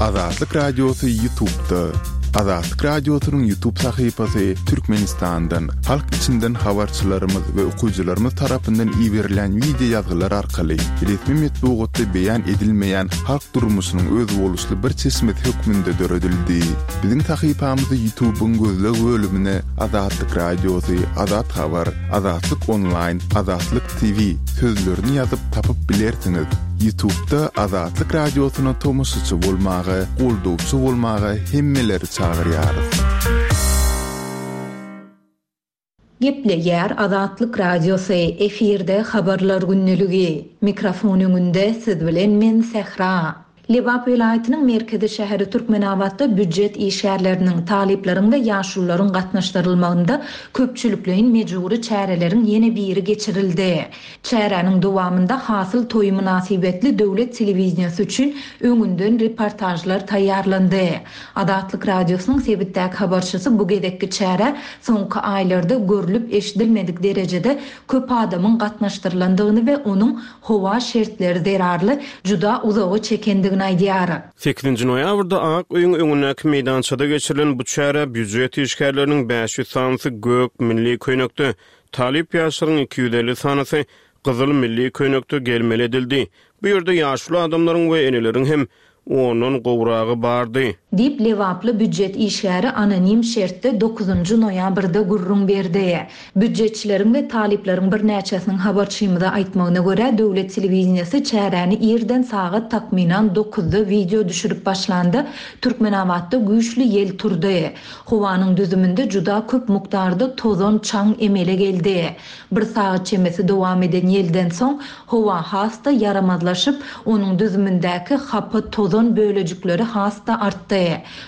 Azatlyk Radiosy Ýutubda. Azatlyk Radiosynyň Ýutub sahypasy Türkmenistandan, halk içinden habarçylarymyz we okyjylarymyz tarapyndan iberilýän wideo ýazgylar arkaly resmi metbugatda beýan edilmeýän halk durmuşynyň özboluşly bir çeşmesi hökmünde döredildi. Biziň sahypamyzy Ýutubyň gözleg bölümine Azatlyk Radiosy, Azat Habar, Azatlyk Onlaýn, Azatlyk TV sözlerini ýazyp tapyp bilersiňiz. Ýutubda Azatlyk Radiosyna tomaşaçy bolmaga, goldawçy bolmaga hemmeleri çagyrýarys. Gepleýär Azatlyk Radiosy, efirde Habarlar gündeligi. Mikrofon öňünde siz bilen men Sähra. Lebap welaýatynyň merkezi şäheri Türkmenabatda býujet işgärleriniň, talyplaryň we ýaşulularyň gatnaşdyrylmagynda köpçülikleýin mejbury çäreleriň ýene biri geçirildi. Çäräniň dowamynda Hasyl toýy mynasybetli döwlet telewideniýesi üçin öňünden reportažlar taýýarlandy. Azatlyk Radiosynyň sebitdäki habarçysy bu gezekki çärä soňky aýlarda görlüp-eşidilmedik derejede köp adamyň gatnaşdyrylandygyny we onuň howa şertleri zerarly juda uzaga çekendigini aýdýar. Sekizinji noýabrda Ak öýüň öňündäki meýdançada geçirilen bu çärä býujet işgärleriniň 500 sanysy gök milli köýnekde, talyp ýaşlaryň 250 sanysy gyzyl milli köýnekde gelmeli edildi. Bu ýerde ýaşuly adamlaryň we eneleriň hem ondan gowragy bardy. Diýip, lebaply býujet işgäri anonim şertde dokuzynjy noýabrda gürrüň berdi. Býujetçileriň we talyplaryň birnäçesiniň habarçymyza aýtmagyna görä, döwlet telewideniýesi çäräni irden sagat takmynan dokuzda wideo düşürip başlanda, Türkmenabatda güýçli ýel turdy. Howanyň düzüminde juda köp mukdarda tozan, çaň emele geldi. Bir sagat çemesi dowam eden ýelden soň, howa has-da ýaramazlaşyp, onuň düzümindäki hapa tozan bölejikleri has-da artdy.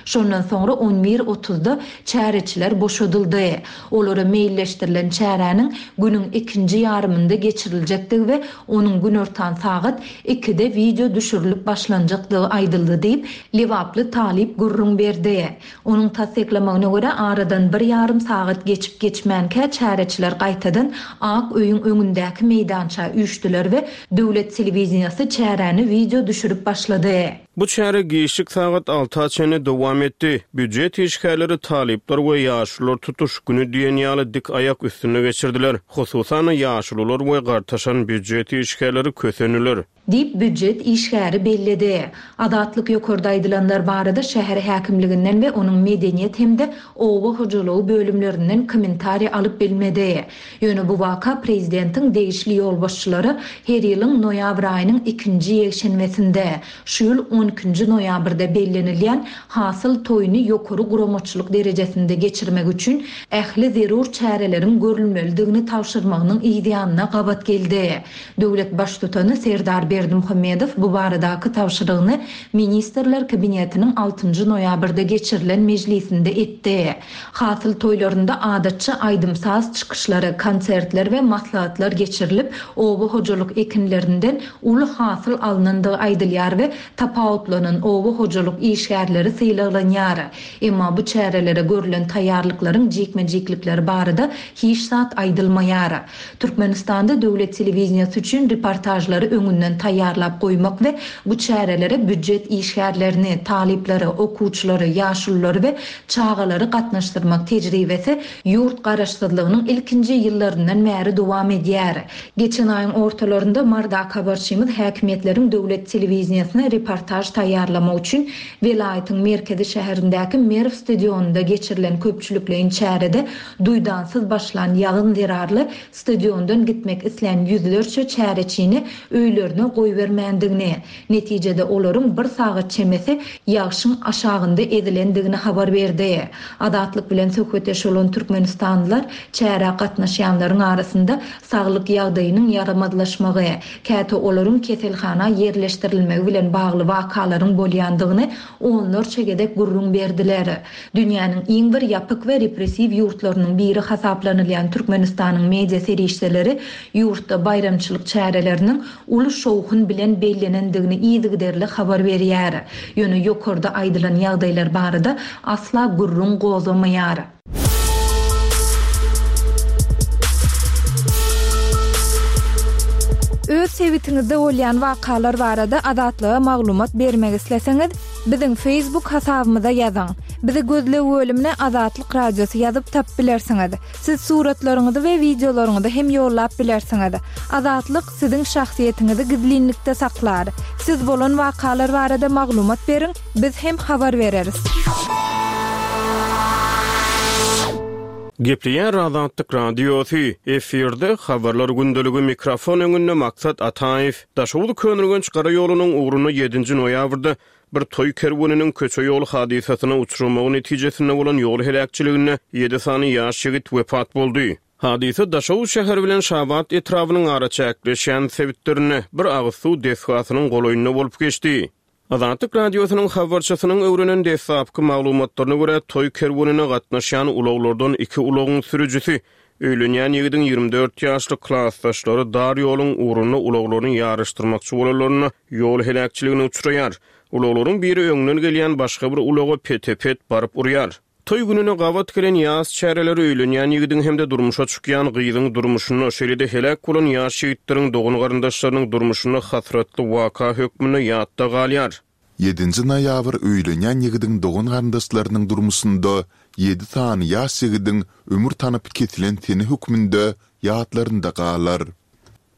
Şondan soňra on bir otuzda çäreçiler boşadyldy. Olara meýilleşdirilen çäräniň günüň ikinji ýarymynda geçiriljekdigi we onuň günortan sagat ikide wideo düşürilip başlanjakdygy aýdyldy diýip, lebaply talyp gürrüň berdi. Onuň tassyklamagyna görä, aradan bir ýarym sagat geçip-geçmänkä çäreçiler gaýtadan Ak öýüň öňündäki meýdança üýşdüler we döwlet telewideniýesi çäräni wideo düşürip başlady. Bu çäre giçlik sagat alta çenli dowam etdi. Býujet işgärleri, talyplar we ýaşulular tutuş güni diýen ýaly dik aýak üstünde geçirdiler. Hususan-da, ýaşulular we gartaşan býujet işgärleri kösendiler. Diýip, býujet işgäri belledi. Azatlyk ýokarda aýdylanlar barada şäher häkimliginden we onuň medeniýet hem-de oba hojalygy bölümlerinden kommentariý alyp bilmedi. Ýöne bu waka prezidentiň degişli ýolbaşçylara her ýylyň noýabr aýynyň ikinji ýekşenbesinde, şu ýyl on ikinji noýabrda bellenilýän Hasyl toýuny ýokary guramaçylyk derejesinde geçirmek üçin ähli zerur çäreleriň görülmelidigini tabşyrmagynyň yzýanyna gabat geldi. Döwlet Baştutany Serdar Berdimuhamedow bu baradaky tabşyrygyny Ministrler Kabinetiniň altynjy noýabrda geçirilen mejlisinde etdi. Hasyl toýlarynda adatça aýdym-saz çykyşlary, konsertler we maslahatlar geçirilip, oba hojalyk ekinlerinden uly hasyl alnandygy aýdylýar we tapawutlanan oba hojalyk işgärleri sylaglanýar. Emma bu çärelere görlen taýýarlyklaryň jikme-jiklikleri barada hiç zat aýdylmaýar. Türkmenistanda döwlet telewideniýesi üçin reportažlary öňünden taýýarlap goýmak we bu çärelere býujet işgärlerini, talyplary, okuwçylary, ýaşululary we çagalary gatnaşdyrmak tejribesi ýurt garaşsyzlygynyň ilkinji ýyllaryndan bäri dowam edýär. Geçen aýyň ortalarynda Mardaky habarçymyz häkimiýetleriň döwlet telewideniýesine reportaž taýýarlamak üçin welaýatyň merkezi şäherindäki Merw stadionynda geçirilen köpçülikleýin çärede Duýdansyz başlan ýagyn zerarly stadiondan gitmek islän ýüzlerçe çäreçini öýlerine goýbermändigini, netijede olaryň bir sagat çemesi ýagşyň aşagynda ezilendigini habar berdi. Azatlyk bilen söhbetdeş bolan türkmenistanlylar çärä gatnaşýanlaryň arasynda saglyk ýagdaýynyň ýaramazlaşmagy, käte olaryň keselhana ýerleşdirilmegi bilen bagly wakalaryň bolýandygyny onlarça gezek gürrüň berdiler. Dünýäniň iň bir ýapyk we repressiw ýurtlarynyň biri hasaplanylýan Türkmenistanyň media serişdeleri ýurtda baýramçylyk çäreleriniň uly şowhun bilen bellenendigini yzygiderli habar berýär. Ýöne ýokarda aýdylan ýagdaýlar barada asla gürrüň gozgamaýar. Öz sebitiňizde bolýan wakalar barada Azatlyga maglumat bermek isleseňiz, biziň Facebook hasabymyza ýazyň. Bizi gözleg bölümine Azatlyk Radiosy ýazyp tapyp bilersiňiz. Siz suratlaryňyzy we wideolaryňyzy hem ýollap bilersiňiz. Azatlyk siziň şahsyýetiňizi gizlinlikde saklar. Siz bolan wakalar barada maglumat beriň, biz hem habar bereris. Gepleýär Azatlyk Radiosy, efirde Habarlar gündeligi mikrofon öňünde Maksat Ataýew. Daşoguz Köneürgenç gara ýolunyň ugrunda ýedinji noýabrda bir toý kerweniniň köçe-ýol hadysasyna uçramagy netijesinde bolan ýol heläkçiliginde ýedi sany ýaş ýigit wepat boldy. Hadysa Daşoguz şäheri bilen Şabat etrabynyň araçäkleşýän sebitlerinde, bir agyz suw desgasynyň golaýynda bolup geçdi. Azatlyk Radiosynyň habarçysynyň öwrenen deslapky maglumatlaryna görä, toý kerwenine gatnaşýan ulaglardan iki ulagyň sürüjisi, öýlenýän ýigidiň 24 ýaşly klasdaşlary dar ýoluň ugrunda ulaglaryny ýaryşdyrmakçy bolanlarynda ýol heläkçiligine uçraýar. Ulaglaryň biri öňden gelýän başga bir ulaga pete-pet baryp urýar. Toý gününe gabat gelen ýas çäreleri öýlenýän ýigidiň hem-de durmuşa çykýan gyzyň durmuşynda, şeýle-de heläk bolan ýaş ýigitleriň dogan-garyndaşlarynyň durmuşynda hasratly waka hökmünde ýatda galýar. Ýedinji noýabr öýlenýän ýigidiň dogan-garyndaşlarynyň durmuşynda ýedi sany ýaş ýigidiň ömür tanapy kesilen sene hökmünde ýatlarynda galar.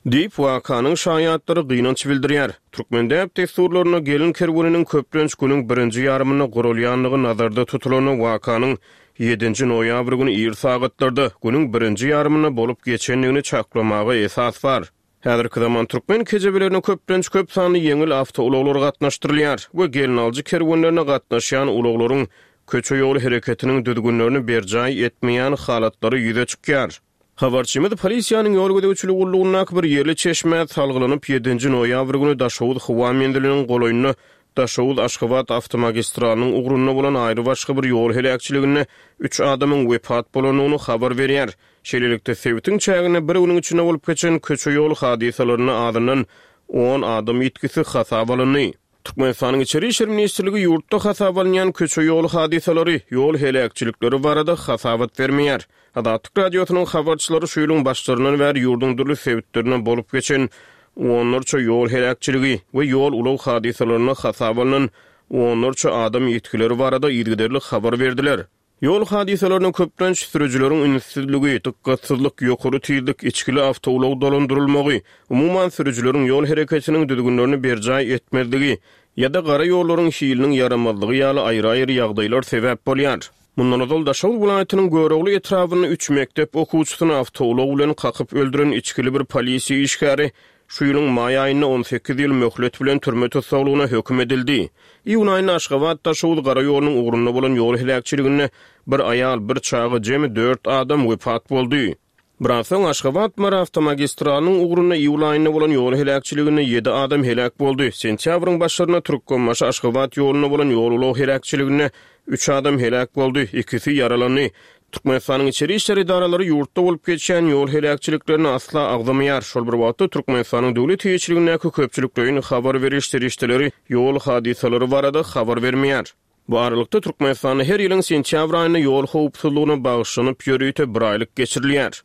Diýip, wakanyň şaýatlary gynanç bildirýär. Türkmen däp-dessurlarynda gelin kerweniniň köplenç günüň birinji ýarymynda guralýandygy nazarda tutulanda wakanyň ýedinji noýabr güni ir sagatlarda, günüň birinji ýarymynda bolup geçendigini çaklamaga esas bar. Häzirki zaman türkmen kejebelerine köplenç köp sanly ýeňil awtoulaglar gatnaşdyrylýar we gelnaljy kerwenlerine gatnaşýan ulaglaryň köçe-ýol hereketiniň düzgünlerini berjaý etmeýän halatlary ýüze çykýar. Habarçymyz polisiýanyň ýol gözegçiligi gullugyndaky bir ýerli çeşmä salgylanyp, ýedinji noýabr güni Daşoguz howa menziliniň golaýynda Daşoguz-Aşgabat awtomagistralynyň ugrunda bolan aýrybaşga bir ýol heläkçiliginde üç adamyň wepat bolandygyny habar berýär. Şeýlelikde, sebitiň çäginde bir günüň içinde bolup geçen köçe-ýol hadysalarynda azyndan on adam ýitgisi hasaba alyndy. Türkmenistanyň Içeri işler ministrligi ýurtda hasaba alynýan köçe-ýol hadysalary, ýol heläkçilikleri barada hasabat bermeýär. Azatlyk Radiosynyň habarçylary şu ýylyň başlaryndan bäri ýurduň dürli sebitlerinde bolup geçen onlarça ýol heläkçiligi we ýol-ulag hadysalarynda hasaba alnan onlarça adam ýitgileri barada yzygiderli habar berdiler. Ýol hadysalaryna köplenç sürüjileriň ünssüzligi, dykgatsyzlyk, ýokary tizlik, içgili awtoulag dolandyrylmagy, umuman, sürüjileriň ýol hereketiniň düzgünlerini berjaý etmezligi ýa-da gara ýollaryň hiliniň ýaramazlygy ýaly aýry-aýry ýagdaýlar sebäp bolýar. Mundan ozal Daşoguz welaýatynyň Görogly etrabynda üç mekdep okuwçysyny awtoulag bilen kakyp öldüren içgili bir polisiýa işgäri Şu ýylyň maý aýynda 18 ýyl möhlet bilen türme tussaglygyna höküm edildi. Iýun aýynda Aşgabat-Daşoguz gara ýolunyň ugrunda bolan ýol heläkçiliginde bir aýal, bir çaga, jemi dört adam wepat boldy. Biraz soň Aşgabat-Mary awtomagistralynyň ugrunda iýul aýynda bolan ýol heläkçiliginde ýedi adam heläk boldy. Sentýabryň başlarynda Türkmenbaşy-Aşgabat ýolunda bolan ýol-ulag heläkçiliginde üç adam heläk boldy, ikisi ýaralandy. Türkmenistanyň içeri işler edaralary ýurtda bolup geçýän ýol heläkçiliklerini asla agzamaýar. Şol bir wagtda, Türkmenistanyň döwlet eýeçiligindäki köpçülikleýin habar beriş serişdeleri ýol hadysalary barada habar bermeýär. Bu aralykda, Türkmenistanda her ýylyň sentýabr aýynda ýol howpsuzlygyna bagyşlanyp ýörite bir aýlyk geçirilýär.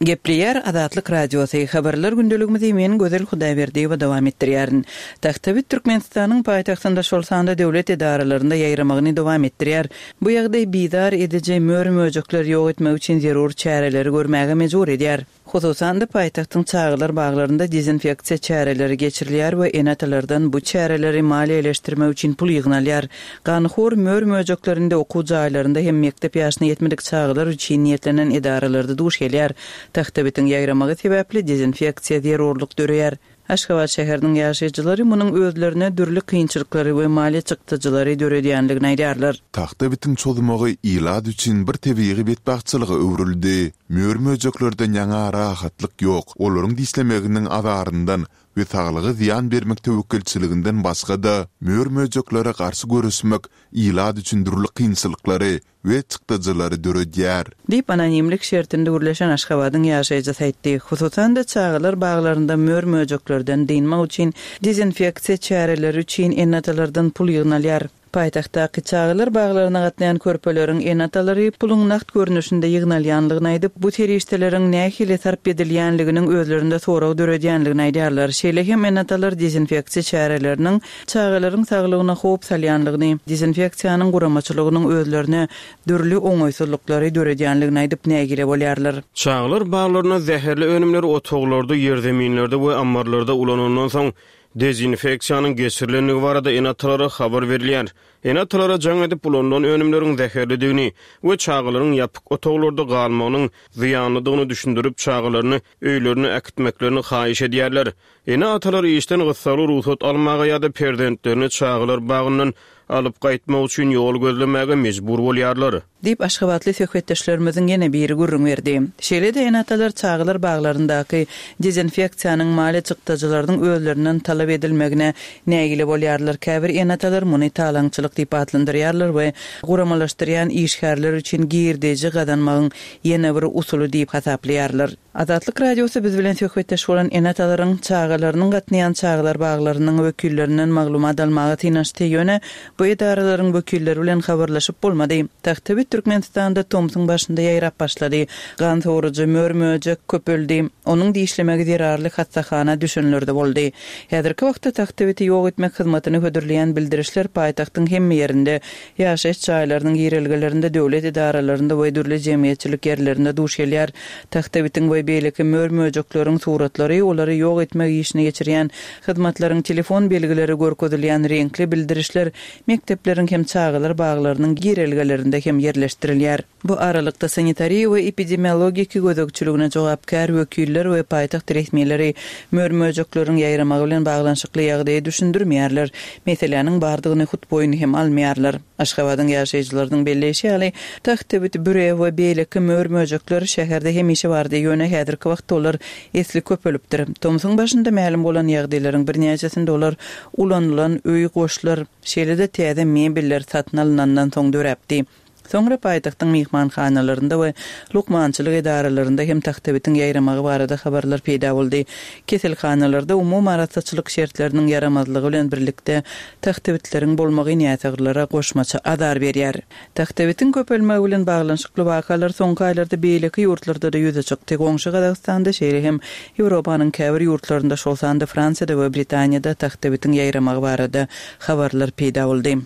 Gepleýär Azatlyk Radiosy, Habarlar gündeligimizi men Gözel Hudaýberdiýewa dowam etdirýärin. Tagtabit Türkmenistanyň paýtagtynda şol sanda döwlet edaralarynda ýaýramagyny dowam etdirýär. Bu ýagdaý bizar ediji mör-möjekleri ýok etmek üçin zerur çäreleri görmäge mejbur edýär. Hususan-da, paýtagtyň çagalar baglarynda dezinfeksiýa çäreleri geçirilýär we ene-atalardan bu çäreleri maliýeleşdirmek üçin pul ýygnalýar. Ganhor mör-möjeklerinde okuw jaýlarynda hem mekdep ýaşyna ýetmedik çagalar üçin niýetlenen edaralarda duş gelýär. Tagtabitiň ýaýramagy sebäpli dezinfeksiýa zerurlyk döreýär. Aşgabat şäheriniň ýaşaýjylary munuň özlerine dürli kynçylyklary we maliýe çykdajylary döredýändigini aýdýarlar. Tagta bitiň çozmagy ilat üçin bir tebigy betbagtçylyga öwrüldi. Mör-möjeklerden ýaňa rahatlyk ýok, olaryň dişlemeginiň azaryndan we saglyga zyýan bermek töwekgelçiliginden başga-da, mör-möjeklere garşy göreşmek ilat üçin dürli kynçylyklary we çykdajylary döredýär. Diýip, anonimlik şertinde gürleşen Aşgabadyň ýaşaýjysy aýtdy. Hususan-da, çagalar baglarynda mör-möjeklerden dynmak üçin dezinfeksiýa çäreleri üçin ene-atalardan pul ýygnalýar. Paýtagtdaky çagalar baglaryna gatnaýan körpeleriň ene-atalary puluň nagt görnüşinde ýygnalýanlygyny aýdyp, bu serişdeleriň nähili sarp edilýänliginiň özlerinde sorag döredýänligini aýdýarlar. Şeýle hem ene-atalar dezinfeksiýa çäreleriniň çagalaryň saglygyna howp salýanlygyny, dezinfeksiýanyň guramaçylygynyň özlerine dürli oňaýsyzlyklary döredýänligini aýdyp nägile bolýarlar. Çagalar baglarynda zäherli önümleri otaglarda, ýerzeminlerde we ammarlarda ulanandan soň, dezinfeksiýanyň geçirilendigi barada ene-atalara habar berilýär. Ene-atalara jaň edip, ulanylan önümleriň zäherlidigini we çagalaryň ýapyk otaglarda galmagynyň zyýanlydygyny düşündirip, çagalaryny öýlerine äkitmeklerini haýyş edýärler. Ene-atalar işden gyssagly rugsat almaga ýa-da perzentlerini çagalar bagyndan alyp gaýtmak üçin ýol gözlemäge mejbur bolýarlar. Diýip, aşgabatly söhbetdeşlerimiziň ýene biri gürrüň berdi. Şeýle-de ene-atalar çagalar baglaryndaky dezinfeksiýanyň maliýe çykdajylarynyň özlerinden talap edilmegine nägile bolýarlar. Käbir ene-atalar muny talaňçylyk diýip atlandyrýarlar we guramalaşdyrýan işgärler üçin girdeji gazanmagyň ýene bir usuly diýip hasaplaýarlar. Azatlyk Radiosy biz bilen söhbetdeş bolan ene-atalaryň çagalarynyň gatnaýan çagalar baglarynyň wekillerinden maglumat almaga synanyşdy, ýöne bu edaralaryň wekilleri bilen habarlaşyp bolmady. Tagtabit Türkmenistanda tomsuň başynda ýaýrap başlady. Gan sorujy mör-möjek köpeldi. Onuň dişlemegi zerarly hassahana düşenler-de boldy. Häzirki wagtda tagtabiti ýok etmek hyzmatyny hödürleýän bildirişler paýtagtyň hemme ýerinde Ýaşaýyş jaýlarynyň girelgelerinde, döwlet edaralarynda we dürli jemgyýetçilik ýerlerinde duş gelýär. Tagtabitiň we beýleki mör-möjekleriň suratlary, olary ýok etmek işini geçirýän hyzmatlaryň telefon belgileri görkezilýän reňkli bildirişler mekdepleriň hem çagalar baglarynyň girelgelerinde hem ýerleşdirilýär. Bu aralykda, sanitariýa we epidemiologiki gözegçiligine jogapkär wekiller we paýtagt resmileri mör-möjekleriň ýaýramagy bilen baglanyşykly ýagdaýy düşündirmeýärler, meseläniň bardygyny hut boýun hem almaýarlar. Aşgabadyň ýaşaýjylarynyň belleýşi ýaly, tagtabit, büre we beýleki mör-möjekler şäherde hemişe bardy, ýöne häzirki wagtda olar esli köpelipdir. Tomsuň başynda mälim bolan ýagdaýlaryň birnäçesinde olar ulanylan öý goşlar, şeýle-de täze mebeller satyn alnandan soň döräpdi. Soňra paýtagtyň myhmanhanalarynda we lukmançylyk edaralarynda hem tagtabitiň ýaýramagy barada habarlar peýda boldy. Keselhanalarda umumy arassaçylyk şertleriniň ýaramazlygy bilen birlikde tagtabitleriň bolmagy näsaglara goşmaça azar berýär. Tagtabitiň köpelmegi bilen baglanyşykly wakalar soňky aýlarda beýleki ýurtlarda-da ýüze çykdy. Goňşy Gazagystanda, şeýle hem Ýewropanyň käbir ýurtlarynda, şol sanda Fransiýada we Britaniýada tagtabitiň ýaýramagy barada habarlar peýda boldy.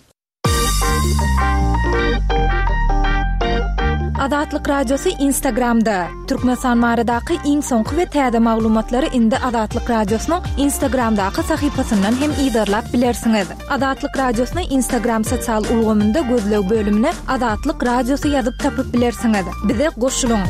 Azatlyk Radiosy Instagramda, Türkmenistan baradaky iň soňky we täze maglumatlary indi Azatlyk Radiosynyň Instagramdaky sahypasyndan hem yzarlap bilersiňiz. Azatlyk Radiosyny Instagram sosial ulgamynda gözleg bölümine Azatlyk Radiosy ýazyp tapyp bilersiňiz. Bize goşulyň!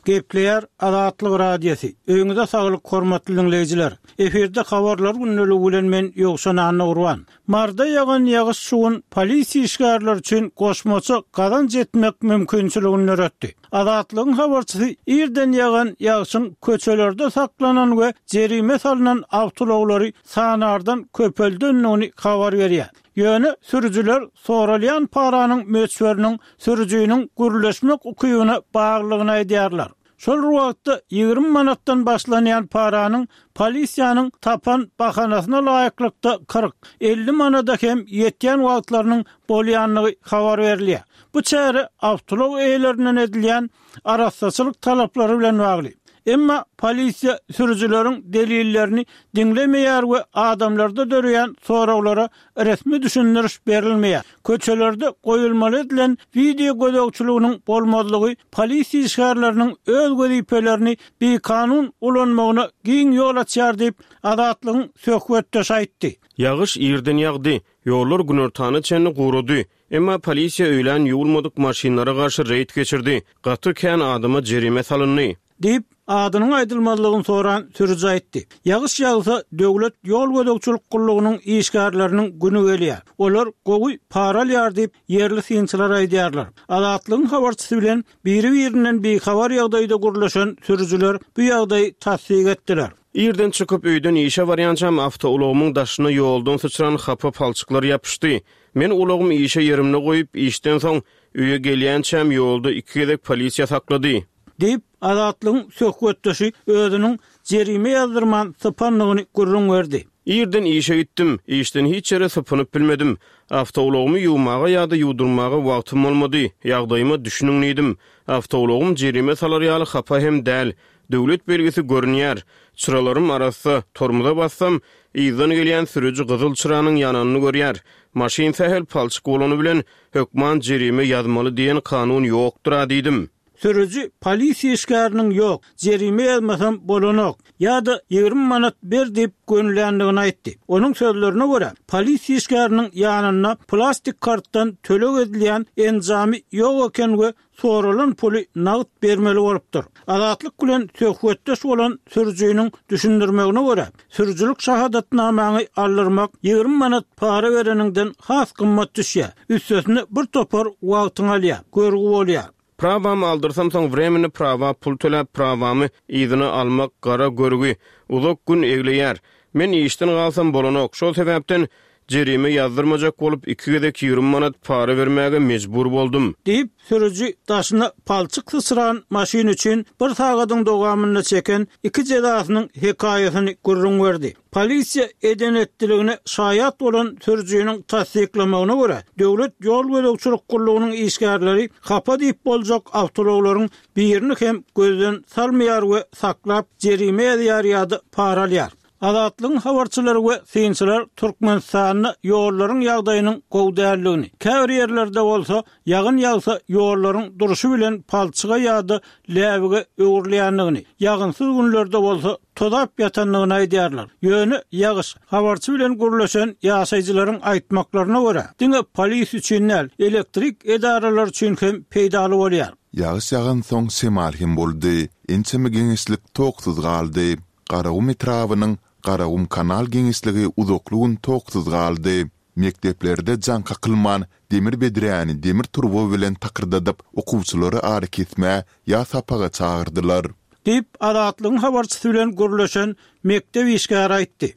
Gepleýär Azatlyk Radiosy. Öýüňize saglyk hormatly diňleýjiler. Efirde habarlar gündeligi bilen men Ýowşan Annagurban. Marda ýagan ýagyş şu gün polisiýa işgärleri üçin goşmaça gazanç etmek mümkinçiligini döretdi. Azatlygyň habarçysy irden ýagan ýagşyň köçelerde saklanan we jerime salnan awtoulaglary sanardan köpeldendigini habar berýär. Ýöne sürüjiler soralýan paranyň möçberiniň sürüjiniň gürleşmek ukybyna baglydygyny aýdýarlar. Şol bir wagtda, 20 manatdan başlanýan paranyň polisiýanyň tapan bahanasyna laýyklykda 40, 50 manada hem ýetýän wagtlarynyň bolýandygy habar berilýär. Bu çäre awtoulag eýelerinden edilýän arassaçylyk talaplary bilen bagly. Emma polisiýa sürüjileriň delillerini diňlemeýär we adamlarda döreýän soraglara resmi düşündiriş berilmeýär. Köçelerde goýulmaly edilen wideo gözegçiliginiň bolmazlygy polisiýa işgärleriniň öz wezipelerini bikanun ulanmagyna giň ýol açýar diýip, Azatlygyň söhbetdeşi aýtdy. Ýagyş irden ýagdy. Ýollar günortana çenli gurady. Emma polisiýa öýlän ýuwulmadyk maşynlara garşy reýd geçirdi. Gaty kän adama jerime salyndy. Diýip, adynyň aýdylmazlygyny soran sürüji aýtdy. Ýagyş ýagsa, döwlet ýol gözegçilik gullugynyň işgärleriniň güni gelýär. Olar gowy para alýar diýip, ýerli synçylar aýdýarlar. Azatlygyň habarçysy bilen biri-birinden bihabar ýagdaýda gürleşen sürüjiler bu ýagdaýy tassyk etdiler. Irden çykyp, öýden işe barýançam awtoulagymyň daşyna ýoldan syçran hapa palçyklar ýapyşdy. Men ulagymy işe ýerimde goýup, işden soň öýe gelýänçäm ýolda iki gezek polisiýa saklady. Diýip, Azatlygyň söhbetdeşi özüniň jerime ýazdyrman sypandygyny gürrüň berdi. Irden işe gitdim. Işden hiç ýere sypynyp bilmedim. Awtoulagymy ýuwmaga ýa-da ýuwdurmaga wagtym bolmady. Ýagdaýyma düşüniň diýdim. Awtoulagym jerime salar ýaly hapa hem däl. Döwlet belgisi görünýär. Çyralarym arassa. Tormoza bassam, yzdan gelýän sürüji gyzyl çyranyň ýananyny görýär. Maşyn sähel palçyk bolany bilen, hökman jerime ýazmaly diýen kanun ýokdur-a diýdim. Sürüji polisiýa işgäriniň ýok, jerime ýazmasam bolanok ýa-da 20 manat ber diýip gönüländigini aýtdy. Onuň sözlerine görä, polisiýa işgäriniň ýanynda plastik kartdan töleg edilýän enjamy ýok eken we soralan puly nagt bermeli bolupdyr. Azatlyk bilen söhbetdeş bolan sürüjiniň düşündirmegine görä, sürüjilik şahadatnamaňy aldyrmak 20 manat para bereniňden has gymmat düşýär. Üstesine bir topar wagtyňy alýar, görgi bolýar. Prawamy aldyrsam soň wremenni prawa pul töläp prawamy yzyna almak gara görgi, uzak gün egleýär. Men işden galsam bolanok. Şol sebäpden Jerime ýazdyrmajak bolup, iki gezek 20 manat para bermäge mejbur boldum. Diýip, sürüji daşyna palçyk syçran maşyn üçin bir sagadyň dowamynda çeken iki jezasynyň hekaýasyny gürrüň berdi. Polisiýa eden-etdiligine şaýat bolan sürüjiniň tassyklamagyna görä, Döwlet ýol gözegçilik gullugynyň işgärleri hapa diýip boljak awtoulaglaryň birini hem gözden salmaýar we saklap, jerime ýazýar ýa-da para alýar. Azatlygyň habarçylary we synçylar Türkmenistanda ýollaryň ýagdaýynyň gowy däldigini, käbir ýerlerde bolsa ýagyn ýagsa ýollaryň durşy bilen palçyga ýa-da läbige öwrülýändigini, ýagynsyz günlerde bolsa tozap ýatandygyny aýdýarlar. Ýöne ýagyş, habarçy bilen gürleşen ýaşaýjylaryň aýtmaklaryna görä, diňe polis üçin däl, elektrik edaralary üçin hem peýdaly bolýar. Ýagyş ýagansoň şemal hem boldy. Ençeme geňeşlik toksuz galdy. Garagum etrabynyň Garagum kanal geňeşligi uzakly gün toksuz galdy. Mekdeplerde jaň kakylman, demir bedräni demir turba bilen takyrdadyp, okuwçylary arakesmä ýa sapaga çagyrdylar. Diýip, Azatlygyň habarçysy bilen gürleşen mekdep işgäri aýtdy.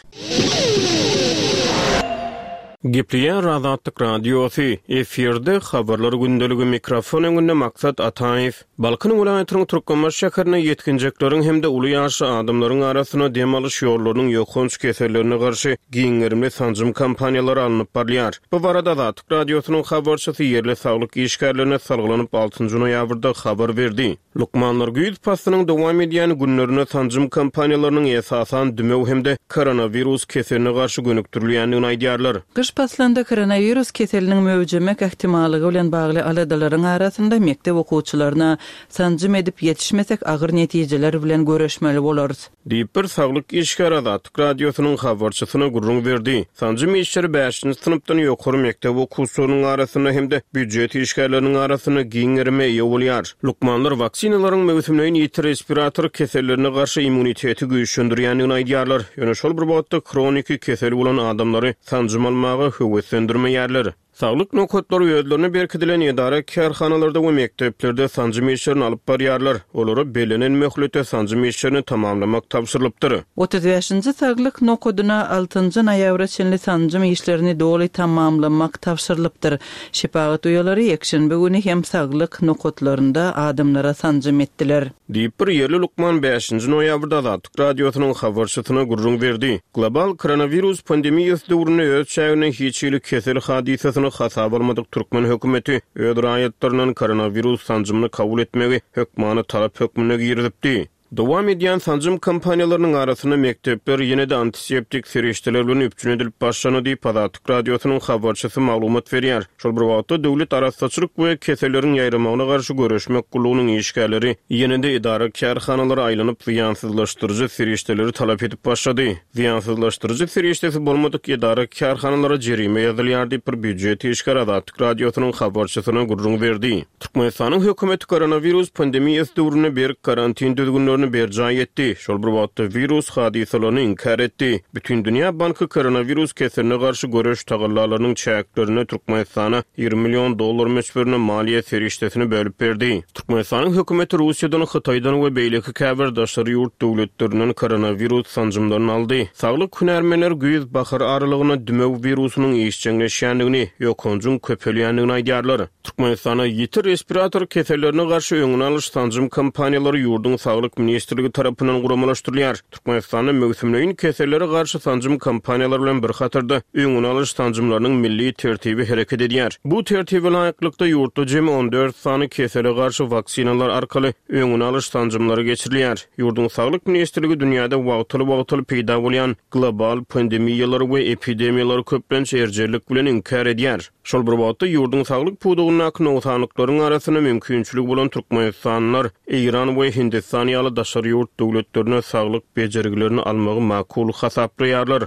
Gepleýär Azatlyk Radiosy, efirde Habarlar gündeligi, mikrofon öňünde Maksat Ataýew. Balkan welaýatynyň Türkmenbaşy şäherinde ýetginjekleriň hem-de uly ýaşly adamlaryň arasynda dem alyş ýollarynyň ýokanç kesellerine garşy giň gerimli sanjym kampaniýalary alnyp barylýar. Bu barada Azatlyk Radiosynyň habarçysy ýerli saglyk işgärlerine salgylanyp altynjy noýabrda habar berdi. Lukmanlar güýz paslynyň dowam edýän günlerinde sanjym kampaniýalarynyň esasan dümew hem-de koronawirus keseline garşy gönükdirilýändigini aýdýarlar. Gyş paslynda koronawirus keseliniň möwjemek ähtimallygy bilen bagly aladalaryň arasynda mekdep okuwçylaryna sanjym edip ýetişmesek agyr netijeler bilen göreşmeli bolarys. Diýip, bir saglyk işgäri Azatlyk Radiosynyň habarçysyna gürrüň berdi. Sanjym işleri bäşinji synpdan ýokary mekdep okuwçylarynyň arasynda hem-de býujet işgärleriniň arasynda giň gerime eýe bolýar. Lukmanlar waksinalaryň möwsümleýin ýiti respirator kesellerine garşy immuniteti güýçlendirýändigini aýdýarlar, ýöne şol bir wagtda hroniki keseli bolan adamlary sanjym almaga höweslendirmeýärler. Saglyk nokatlary özlerine berkidilen edara-kärhanalarda we mekdeplerde sanjym işlerini alyp barýarlar. Olara bellenen möhletde sanjym işlerini tamamlamak tabşyrylypdyr. 35-nji saglyk nokadyna altynjy noýabra çenli sanjym işlerini doly tamamlamak tabşyrylypdyr. Şepagat uýalary ýekşenbe güni hem saglyk nokatlarynda adamlara sanjym etdiler. Diýip, bir ýerli lukman bäşinji noýabrda Azatlyk Radiosynyň habarçysyna gürrüň berdi. Global koronawirus pandemiýasy döwründe öz çäginde hiç hili kesel hadysasyny hasaba almadyk türkmen hökümeti öz raýatlaryndan koronawirus sanjymyny kabul etmegi hökmany talap hökmünde girizipdi. Dowam edýän sanjym kampaniýalarynyň arasynda mekdepler ýene-de antiseptik serişdeler bilen üpjün edilip başlandy diýip, Azatlyk Radiosynyň habarçysy maglumat berýär. Şol bir wagtda, Döwlet arassaçylyk we keselleriň ýaýramagyna garşy göreşmek gullugynyň işgärleri ýene-de edara-kärhanalara aýlanyp, zyýansyzlaşdyryjy serişdeleri talap edip başlady. Zyýansyzlaşdyryjy serişdesi bolmadyk edara-kärhanalara jerime ýazylýar diýip, bir býujet işgäri Azatlyk Radiosynyň habarçysyna gürrüň berdi. Türkmenistanyň hökümeti koronawirus pandemiýasy döwründe berk karantin düzgünlerini. düzgünlerini berjaý etdi, şol bir wagtda wirus hadysalaryny inkär etdi. Bütindünýä banky koronawirus keseline garşy göreş tagallalarynyň çäklerinde Türkmenistana 20 million dollar möçberinde maliýe serişdesini bölüp berdi. Türkmenistanyň hökümeti Russiýadan, Hytaýdan we beýleki käbir daşary ýurt döwletlerinden koronawirus sanjymlaryny aldy. Saglyk hünärmenleri güýz-bahar aralygynda dümew wirusynyň işjeňleşýändigini, ýokanjyň köpelýändigini aýdýarlar. Türkmenistanda ýiti respirator kesellerine garşy öňüni alyş sanjym kampaniýalary ýurduň Saglyk ministrligi tarapyndan guramalaşdyrylýar. Türkmenistanda möwsümleýin kesellere garşy sanjym kampaniýalary bilen bir hatarda, öňüni alyş sanjymlarynyň milli tertibi hereket edýär. Bu tertibe laýyklykda, ýurtda jemi 14 sany kesele garşy waksinalar arkaly öňüni alyş sanjymlary geçirilýär. Ýurduň Saglyk ministrligi dünýäde wagtal-wagtal peýda bolýan global pandemiýalary we epidemiýalary köplenç erjellik bilen inkär edýär. Şol bir wagtda, ýurduň saglyk pudagyndaky nogsanlyklaryň arasynda mümkinçiligi bolan türkmenistanlylar Eýran we Hindistan ýaly daşary ýurt döwletlerinde saglyk bejergilerini almagy makul hasaplaýarlar.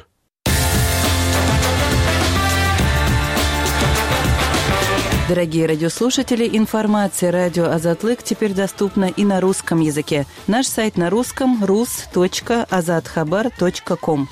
Дорогие радиослушатели, информация радио Азатлык теперь доступна и на русском языке. Наш сайт на русском rus.azathabar.com.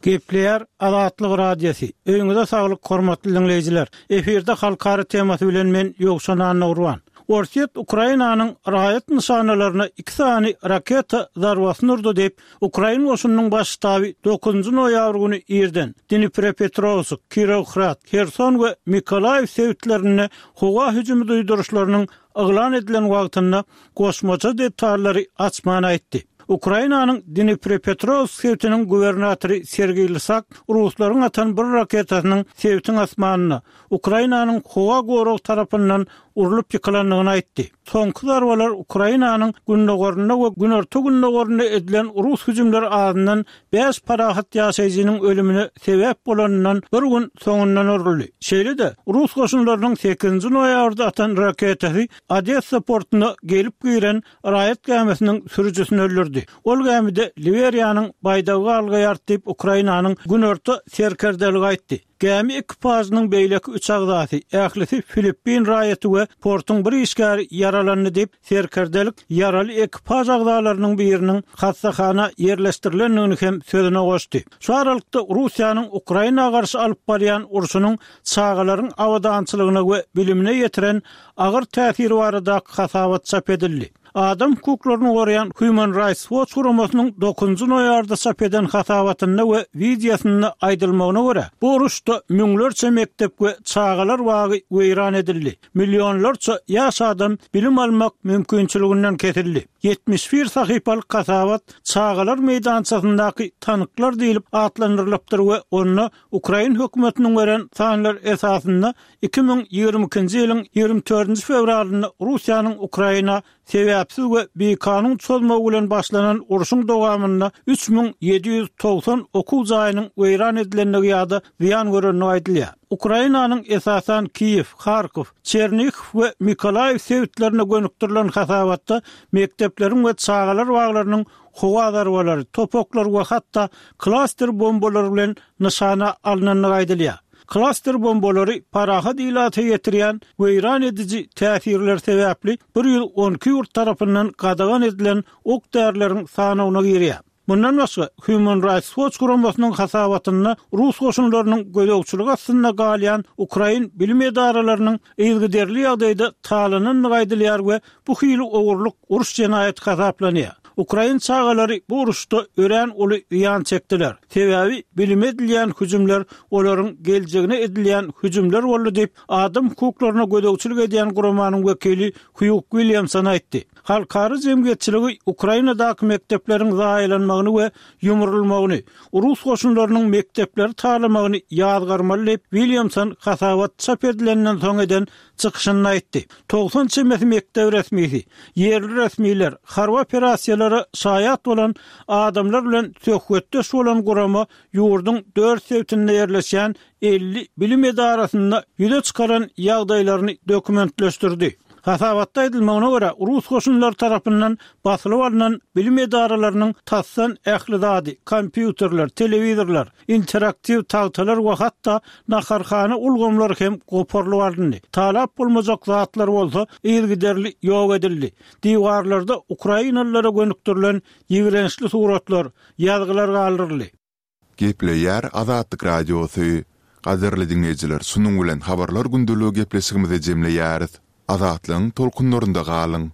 Gepleýär Azatlyk Radiosy. Öýüňize saglyk hormatly diňleýjiler. Efirde halkara temasy bilen men Ýowşan Annagurban. Orsýet Ukrainanyň raýat nyşanalaryna iki sany raketa zarbasyny urdy diýip, Ukrain goşunynyň baş ştaby dokuzynjy noýabr güni irden Dniprepetrowsk, Kirowhrad, Herson we Mykolaýiw sebitlerinde howa hüjümi duýduryşlarynyň yglan edilen wagtynda goşmaça detallary açman aýtdy. Ukrainanyň Dniprepetrowsk sebitiniň gubernatory Sergiý Lysak ruslaryň atan bir raketasynyň sebitiň asmanynda Ukrainanyň howa goragy tarapyndan urlup ýykylandygyny aýtdy. Soňky zarbalar Ukrainanyň gündogarynda we günorta-gündogarynda edilen rus hüjümleri azyndan bäş parahat ýaşaýjynyň ölümine sebäp bolanyndan bir gün soňundan uruldy. Şeýle-de, rus goşunlarynyň sekizinji noýabrda atan raketasy Odessa portuna gelip giren raýat gämisiniň sürüjisini öldürdi. Ol gämide Liberiýanyň baýdagy galgaýardy diýip, Ukrainanyň günorta serkerdeligi aýtdy. Gämi ekipažynyň beýleki üç agzasy, ählisi filippin raýaty we portuň bir işgäri ýaralandy diýip, serkerdelik ýaraly ekipaž agzalarynyň biriniň hassahana ýerleşdirilendigini hem sözüne goşdy. Şu aralykda, Russiýanyň Ukraina garşy alyp barýan urşunyň çagalaryň abadançylygyna we bilimine ýetiren agyr täsiri baradaky hasabat çap edildi. Adam hukuklaryny goraýan Human Rights Watch guramasynyň dokuzynjy noýabrda çap eden hasabatynda we wideosynda aýdylmagyna görä, bu uruşda müňlerçe mekdep we çagalar bagy weýran edildi, millionlarça ýaş adam bilim almak mümkinçiliginden kesildi. 71 sahypalyk hasabat Çagalar meýdançasyndaky tanklar diýlip atlandyrylypdyr we onda Ukrain hökümetiniň beren sanlary esasynda 2022-nji ýylyň 24-nji fewralynda Russiýanyň Ukraina sebäpsiz we bikanun çozmagy bilen başlanan urşuň dowamynda 3790 okuw jaýynyň weýran edilendigi ýa-da zyýan görendigi aýdylýar. Ukrainanyň esasan Kiýew, Harkow, Çernihow we Mykolaýiw sebitlerine gönükdirilen hasabatda mekdepleriň we çagalar baglarynyň howa zarbalary, top oklar we hatda klaster bombalary bilen nyşana alnandygy aýdylýar. Klaster bombalary parahat ilata ýetirýän weýran ediji täsirleri sebäpli 112 ýurt tarapyndan gadagan edilen ok-därileriň sanawyna girýär. Mundan başga, Human Rights Watch guramasynyň hasabatynda rus goşunlarynyň gözegçiligi astynda galýan ukrain bilim edaralarynyň yzygiderli ýagdaýda talanandygy aýdylýar we bu hili ogurlyk uruş jenaýaty hasaplanýar. Ukrain çagalary bu uruşda örän uly zyýan çekdiler. Sebäbi bilime edilýän hüjümler olaryň geljegine edilýän hüjümler boldy diýip, adam hukuklaryna gözegçilik edýän guramanyň wekili Hýuk Williamson aýtdy. Halkara jemgyýetçiligi Ukrainadaky mekdepleriň zaýalanmagyny we ýumrulmagyny, rus goşunlarynyň mekdepleri talamagyny ýazgarmaly diýip, Williamson hasabat çap edilenden soň eden çykyşynda aýtdy. 90 çemesi mekdep resmisi, ýerli resmiler, harby operasiýalara şaýat bolan adamlar bilen söhbetdeş bolan gurama ýurduň dört sebitinde ýerleşýän 50 bilim edarasynda ýüze çykaran ýagdaýlaryny dokumentleşdirdi. Hasabatda aýdylmagyna görä, rus goşunlary tarapyndan basylyp alnan bilim edaralarynyň tasdan ähli zady, kompýuterler, telewizorlar, interaktiw tagtalar we hatda naharhana ulgamlary hem goparylyp alyndy. Talap bolmajak zatlar bolsa yzygiderli ýok edildi. Diwarlarda ukrainalylara gönükdirilen ýigrençli suratlar, ýazgylar galdyryldy. Gepleýär Azatlyk Radiosy. Gadyrly diňleýjiler şunuň bilen Habarlar gündeligi gepleşigimizi jemleýäris. Azatlygyň tolkunlarynda galyň!